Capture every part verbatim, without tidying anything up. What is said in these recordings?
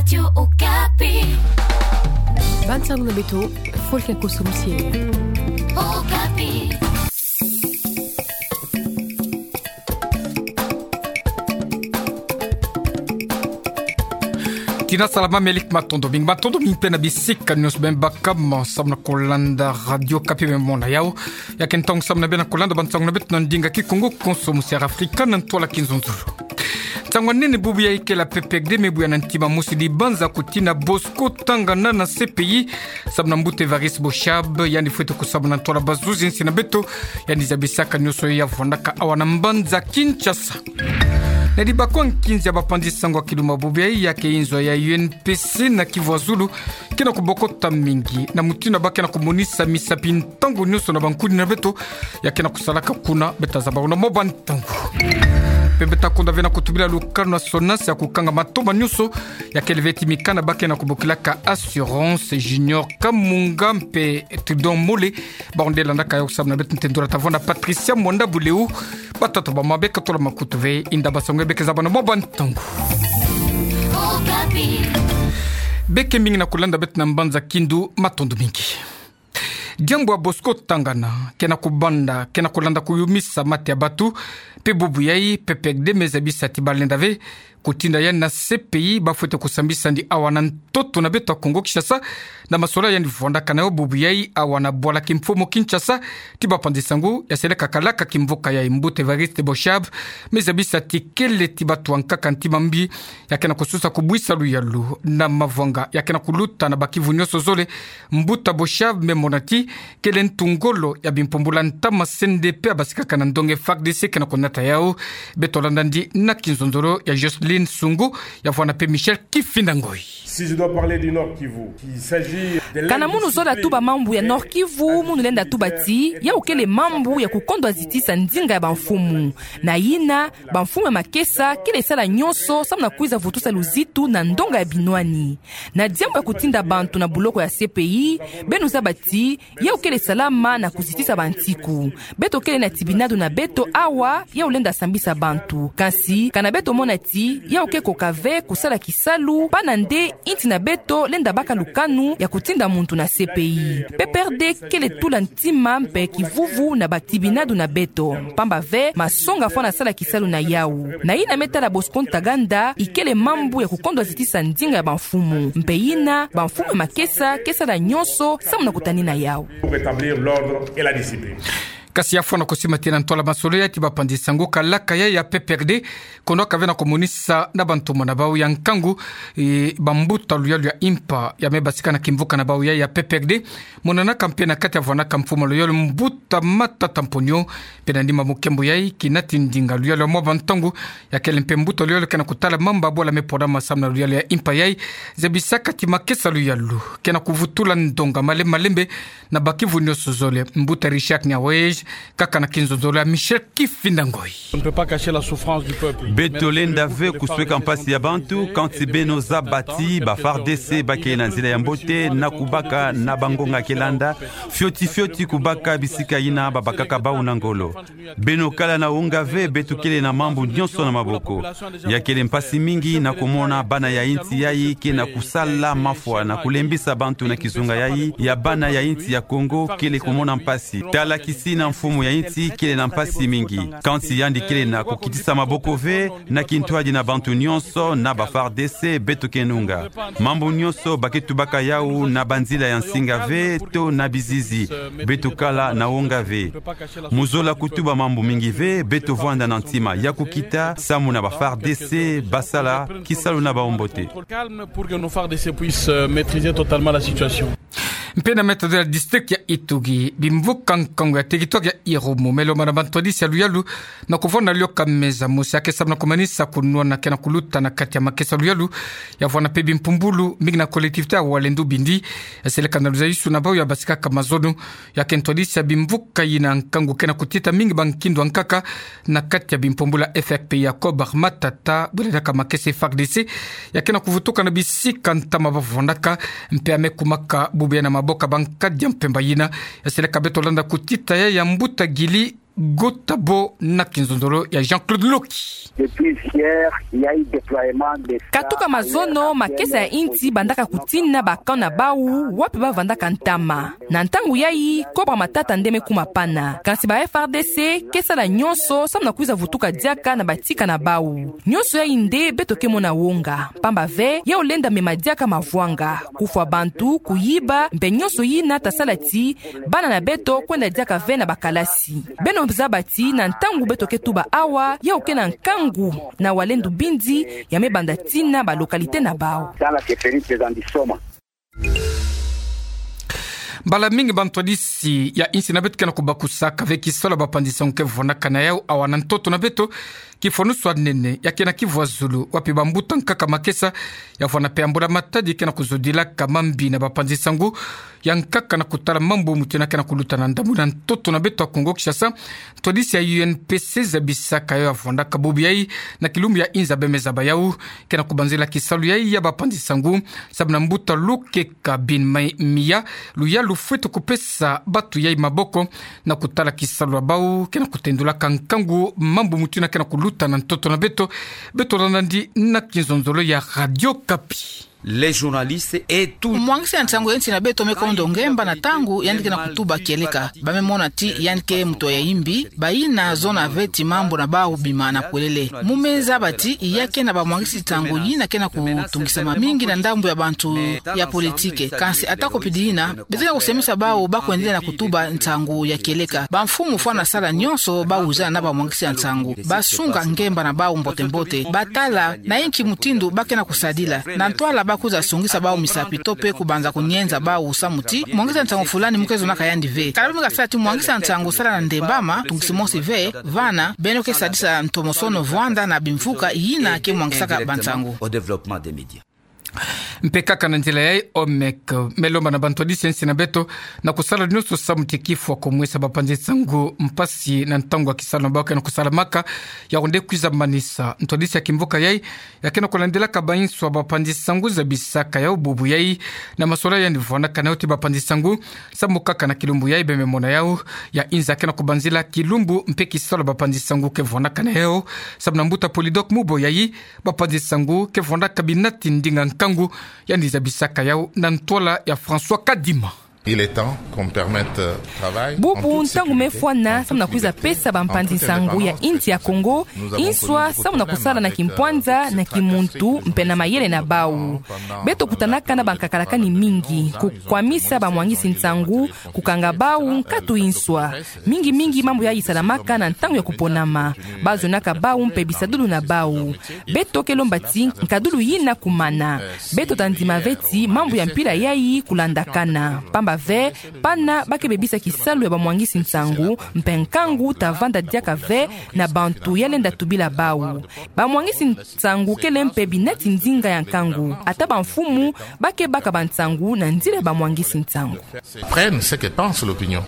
Radio Okapi. Bansango na beto, fo ke koso musie. Okapi. Tina salama, melik matondo mingi, matondo mingi mpe na bisika nyonso beno baka mo, samu na kolanda Radio Okapi, beno mona yau. Ya ke ntangu samu na beno kolanda bansango na beto na ndinga Kikongo, koso musie Afrika na ntwala Kinzonzolo. Nsangu nene bubu ya ikela P P R D me buya na ntima mosi dibanza kutina Bosco Ntaganda na C P I, samu na mbuta Évariste Boshab, yandi fwete kusabana na ntwala bazuzi nsi na beto, yandi zabisaka nyonso ya vwandaka awa na mbanza Kinshasa. Na dibaka nkinzi ya bapanzi sango ya kiduma bubu ya, ya ke inzo ya U N P C na Kivu ya Zulu, ke na kubokota mingi, na mutindu ba ke na kumonisa misapi ntangu nyonso na bankuni na beto, ya ke na kusalaka kuna, beta zaba una mwa bantangu. Mpe beta konda ve na kutubila lukanu na SONAS ya kukanga matoma nyonso, ya kele ve ti mikanda ba ke na kubokilaka Assurance. Junior Kamunga mpe Tudon Mole, ba onde landaka yo samu na beto, ntendula tavona Patricia Mwanda Buleu, batata ba ma beka tola makutu ve, inda basango beke zaba na mwa bantangu. Beke mingi na kulanda beto na mbanza Kindu, matondo mingi. Diambu ya Bosco Ntaganda ke na kubanda, ke na kulanda kuyumisa mate ya bato, mpe bubu yai P P R D me zabisa ti balenda ve kutinda yandi na C P I, bafwete kusambisa yandi awa na ntoto na beto ya Kongo Kinshasa, na masolwa yandi vwandaka na yo bubu yai awa na bwala kimfumu Kinshasa, ti bapanzi sango ya seleka kalaka kimvuka yai mbuta Évariste Boshab, me zabisa ti kele ti bato ya nkaka ntima mbi, ya ke na kususa kubwisa luyalu na mavwanga ya ke na kuluta na bakivu nyonso zole. Mbuta Boshab me mona ti kele ntu ngolo ya bimpumbula ntama C N D P ya basikaka na ndonga F A R D C ke na kunata yau. Beto landa ndi na Kinzonzolo ya Jocelyne Sungu, ya vwanda mpe Michel Kifinda Ngoi. Si je dois parler du Nord-Kivu, il s'agit de... Kana munu zola tuba mambu ya Nord-Kivu, munu lenda tuba ti yau kele mambu ya kukondwa zitisa ndinga ya bamfumu. Na yina, bamfumu ya makesa kele sala nyonso samu na kwiza vutusa luzitu na ndonga ya binwani. Na diambu ya kutinda bantu na buloko ya C P I, beno zaba ti yau kele salama na kuzitisa bantiku. Beto kele na tibinadu na beto awa, yau lenda sambisa bantu. Kansi, kana beto mona ti yau ke koka ve kusala kisalu, pana nde inti na beto lenda baka lukanu ya kutinda muntu na C P I. P P R D kele tula ntima mpe kivuvu na batibinadu na beto. Mpamba ve, masonga fwana sala kisalu na yau. Na yina me tala Bosco Ntaganda, ikele mambu ya kukondwa zitisa ndinga ya bamfumu. Mpe yina, bamfumu ya makesa ke sala nyonso samu na kutanina yau. Pour rétablir l'ordre et la discipline. Kasi ya fwana kusimatila ntwala masolele ti bapanzi sango, kalaka yai ya P P R D, kono ka ve na kumonisa na bantumona bau ya nkangu, e, bambuta luyalu ya impa ya me basika na kimvuka na bau yai ya P P R D, monanaka mpe na kati ya vwanaka mfumu luyalu mbuta Matata Mponyo, mpe na nima mukembo yai, kina ti ndinga luyalu ya mwa bantangu, ya kele mpe mbuta luyalu ke na kutala mamba bwala me pona ma samu na luyalu ya impa yai, zabisaka ti makesa luyalu ke na kuvutula ndonga malembe malembe, na bakivu nyonso zole. Mbuta Richard Nyawej, kaka na Kinzonzolo ya Michel Kifinda Ngoi. On ne peut pas cacher la souffrance du peuple. Beto lenda ve kusweka mpasi ya bantu, kansi beno zaba ti ba F A R D C ba ke na nzila ya mbote na kubaka na bangonga ke landa, fioti fioti kubaka bisika yina babakaka bau na ngolo. Beno kala na wonga ve, beto kele na mambu nyonso na maboko. Ya kele mpasi mingi na kumona bana ya inti yai ke na kusala mafwa na kulembisa bantu na kizunga yai ya bana ya inti ya Kongo, kele kumona mpasi. Tala kisina mfumu ya inti kele na mpasi mingi. Kansi yandi kele na kukitisa maboko ve, na kintwadi na bantu nyonso, na ba F A R D C, beto ke nunga. Mambu nyonso ba ke tubaka yau na banzila ya nsinga ve, to na bizizi. Beto kala na wonga ve. Mu zola kutuba mambu mingi ve, beto vwanda na ntima ya kukita, samu na ba F A R D C ba sala kisalu na bau mbote. Calme pour que nos F A R D C puissent, euh, maîtriser totalement la situation. Mpe na meta de la district ya Ituri, bimvuka nkangu ya territoire ya Irumu, me lomba na bantwadisi ya luyalu na kuvwanda lioka meza mosi ya ke samu na kumanisa kunwana ke na kuluta na kati ya makesa luyalu, ya vwanda mpe bimpumbulu mingi na collectivité ya Walendu Bindi, ya seleka na luzaisu na bau ya basikaka mazono. Ya ke ntwadisi ya bimvuka yina nkangu ke na kutita mingi bankindu ya nkaka na kati ya bimpumbulu ya F R P I ya Kobar Matata, bwela diaka makesa F A R D C ya ke na kuvutuka na bisika ntama ba vwandaka, mpe ya me kumaka bubu ya na maboko ya bankadi ya mpemba yina. Ya seleka beto landa kutita ya ya mbuta Gili Gotabo na kinzonzolo ya Jean-Claude Loki. Depuis hier, il y a eu déploiement des... Katuka mazono, makesa ya insi bandaka kutina ba camp na bau, wapi bavandaka ntama. Na ntangu yayi, kobra matata nde me kuma pana. Kansi ba F R D C ke sala nyonso samu na kwiza vutuka diaka na batika na bau. Nyonso yayi nde beto ke mona wonga. Pamba ve, yau lenda mema diaka mavwanga, kufwa bantu, kuyiba, mpe nyonso yina ta sala ti bana na beto kwenda diaka ve na bakalasi. Beno zaba ti na ntangu beto ke tuba awa, yau ke na nkangu na wale ndubindi ya me banda tina ba localité na bau. Dans la chefferie de Zandisoma. Mbala mingi bantwadisi ya insi na beto ke na kubakusaka ve kisalu ya bapanzi nsangu ke vwandaka na yau awa na ntoto na beto. Kifwanusu ya nene ya ke na Kivuazulu, wapi bambuta nkaka makesa ya vwanda mpe ya mbula matadi ke na kuzodilaka mambi na bapanzi nsangu ya nkaka na kutala mambu mutu yina ke na kuluta na ndambu na ntoto na beto ya Kongo Kinshasa. Ntwadisi ya U N P C zabisaka yau ya vwandaka bubu yayi na kilumbu ya inza bemeza ba yau ke na kubanzila kisalu yayi ya bapanzi nsangu, samu na mbuta Lukeka bin Mai-, Miya, luyalu fwete kupesa batu yayi maboko na kutala kisalu ya bau ke na kutendulaka nkangu mambu mutu yina ke na kuluta na ntoto na beto. Beto landa ndi na kinzonzolo ya Radio Okapi. Les journalistes et tout. Mwangisi ya nsangu ya insi na beto me kondo ngemba na ntangu yandi ke na kutuba kieleka. Ba me mona ti yandi ke mutu ya imbi, bayina zona ve ti mambu na bau bima na kwelele. Mu me zaba ti ya ke na bamwangisi nsangu yina ke na kutungisa mamingi na ndambu ya bantu ya politike. Kansi atako pidi yina, beto ke na kusemesa bau ba kwendele na kutuba nsangu ya kieleka. Bamfumu fwana sala nyonso ba uza na bamwangisi ya nsangu. Ba sunga ngemba na bau mbote mbote. Ba tala na inki mutindu ba ke na kusadila. Na ntwala ba kwiza sungisa bau misapi to mpe kubanza kunyenza bau samu ti mwangisi ya nsangu fulani mu ke zonaka yandi ve. Kala ba me kasala ti mwangisi ya nsangu sala na ndembama, tungisi mosi ve, vana, beno ke sadisa ntomosono vwanda na bimvuka yina ke mwangisaka bansangu. Au développement des médias. Mpe kaka na nzila yayi, Omec me lomba na bantwadisi ya insi na beto na kusala nyonso samu ti kifwa ko mwesa bapanzi nsangu mpasi na ntangu ya kisalu na bau ke na kusalamaka, yau nde kwiza manisa. Ntwadisi ya kimvuka yayi ya ke na kulandilaka bainso ya bapanzi nsangu zabisaka yau bubu yayi na masolani yandi vwandaka na yau ti bapanzi nsangu, samu kaka na kilumbu yayi be me mona yau ya inza ke na kubanzila kilumbu mpe kisalu ya bapanzi nsangu ke vwandaka na yau, samu na mbuta Polydor Muboyayi, bapanzi nsangu ke vwandaka binati ndinga nkangu. Yandi zabisaka yau na ntwala ya François Kadima. Il est temps qu'on permette, euh, travail en toute sécurité, en toute liberté, en toute indépendance, que chacun ait sa place. Bubu ntangu me fwana samu na kwiza pesa bampanzi nsangu ya insi ya Kongo inswa samu na kusala na kimpwanza, na kimuntu, mpe na mayele na bau. Beto kutanaka na bankakalakani mingi, kukwamisa bamwangisi nsangu, kukanga bau nkatu inswa. Mingi mingi mambu yayi salamaka na ntangu ya kuponama. Ba zonaka bau mpe bisadulu na bau. Beto ke lomba ti nkadulu yina kumana. Beto ta ndima ve ti mambu ya mpila yayi kulandakana. Pamba ve, pana ba ke bebisa kisalu ya bamwangisi nsangu, mpe nkangu ta vanda diaka ve na bantu ya lenda tubila bau. Bamwangisi nsangu kele mpe binati ndinga ya nkangu. Ata bamfumu ba ke baka bansangu na nzila ya bamwangisi nsangu. Prennent ce que pense l'opinion.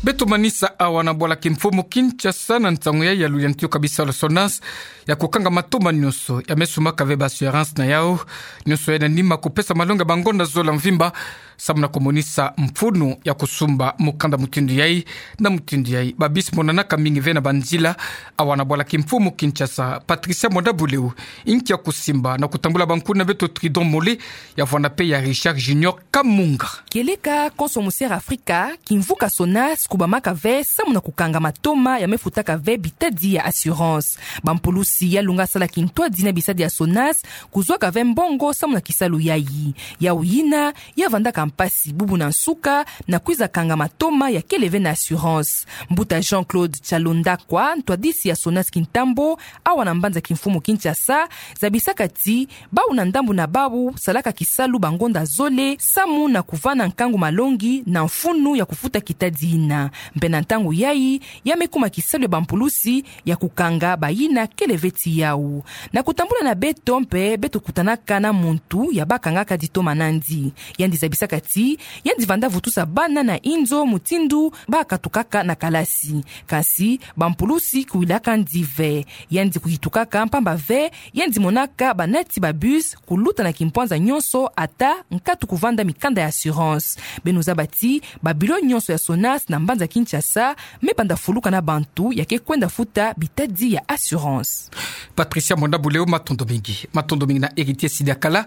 Beto manisa awa na bwala kimfumu Kinshasa na nsangu yayi ya luyantiyo ka bisalu ya SONAS ya kukanga matoma nyonso ya me sumaka ve ba assurance na yau. Nyonso yayi na nima kupesa malongi ya bangonda zole ya mvimba samu na kumonisa mfunu ya kusumba mukanda mutindu yayi. Na mutindu yayi, ba bus monanaka mingi ve na banzila awa na bwala kimfumu Kinshasa. Patricia Mwanda Buleu, inki ya kusimba na kutambula bankuni na beto Tridon Mole, ya vwanda mpe ya Richard Junior Kamunga. Kieleka konso mu Sierra Afrika, kimvuka SONAS kubamaka ve samu na kukanga matoma ya me futaka ve bitadi ya assurance. Bampulusi ya lunga sala kintwadi na bisadi ya SONAS kuzwaka ve mbongo samu na kisalu yayi. Yau yina ya vandaka mpasi bubu na nsuka na kwiza kanga matoma ya kele ve na assurance. Mbuta Jean-Claude Chalondakwa, ntwadisi ya SONAS kintambo awa na mbanza kimfumu Kinshasa, zabisaka ti bau na ndambu na bau salaka kisalu bangonda zole samu na kuvana nkangu malongi na mfunu ya kufuta kitadi yina. Mpe na ntangu yayi, ya me kuma kisalu ya bampulusi ya kukanga bayina kele ve ti yau. Na kutambula na beto mpe, beto kutanaka na muntu ya bakangaka ditoma nandi. Yandi zabisaka Ti, yandi vanda vutusa bana na inzo mutindu bakatukaka na kalasi. Kansi, bampulusi kuwilaka yandi ve. Yandi kuyitukaka mpamba ve, yandi monaka banati ba bus kuluta na kimpwanza nyonso ata nkatu kuvanda mikanda ya assurance. Beno zaba ti, ba bureau nyonso ya SONAS na mbanza Kinshasa me banda fuluka na bantu ya ke kwenda futa bitadi ya assurance. Patricia Mwanda Buleo, matondo mingi. Matondo mingi na Héritier Sidakala,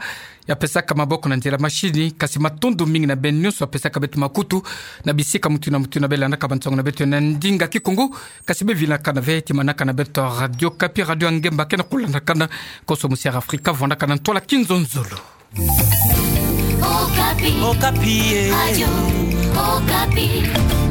ya pesaka maboko na nzila mashini, kasi matondo mingi na beno nyonso ya pesaka beto makutu, na bisika mutindu na mutindu beno landaka bansangu na beto na ndinga Kikongo, kasi beno vinakana ve ti manaka na beto Radio Okapi, radio ya ngemba ke na kulandakana, konso musi Air Afrika, vandakana ntwala kinzonzolo. Okapi. Okapi, eh. Radio Okapi.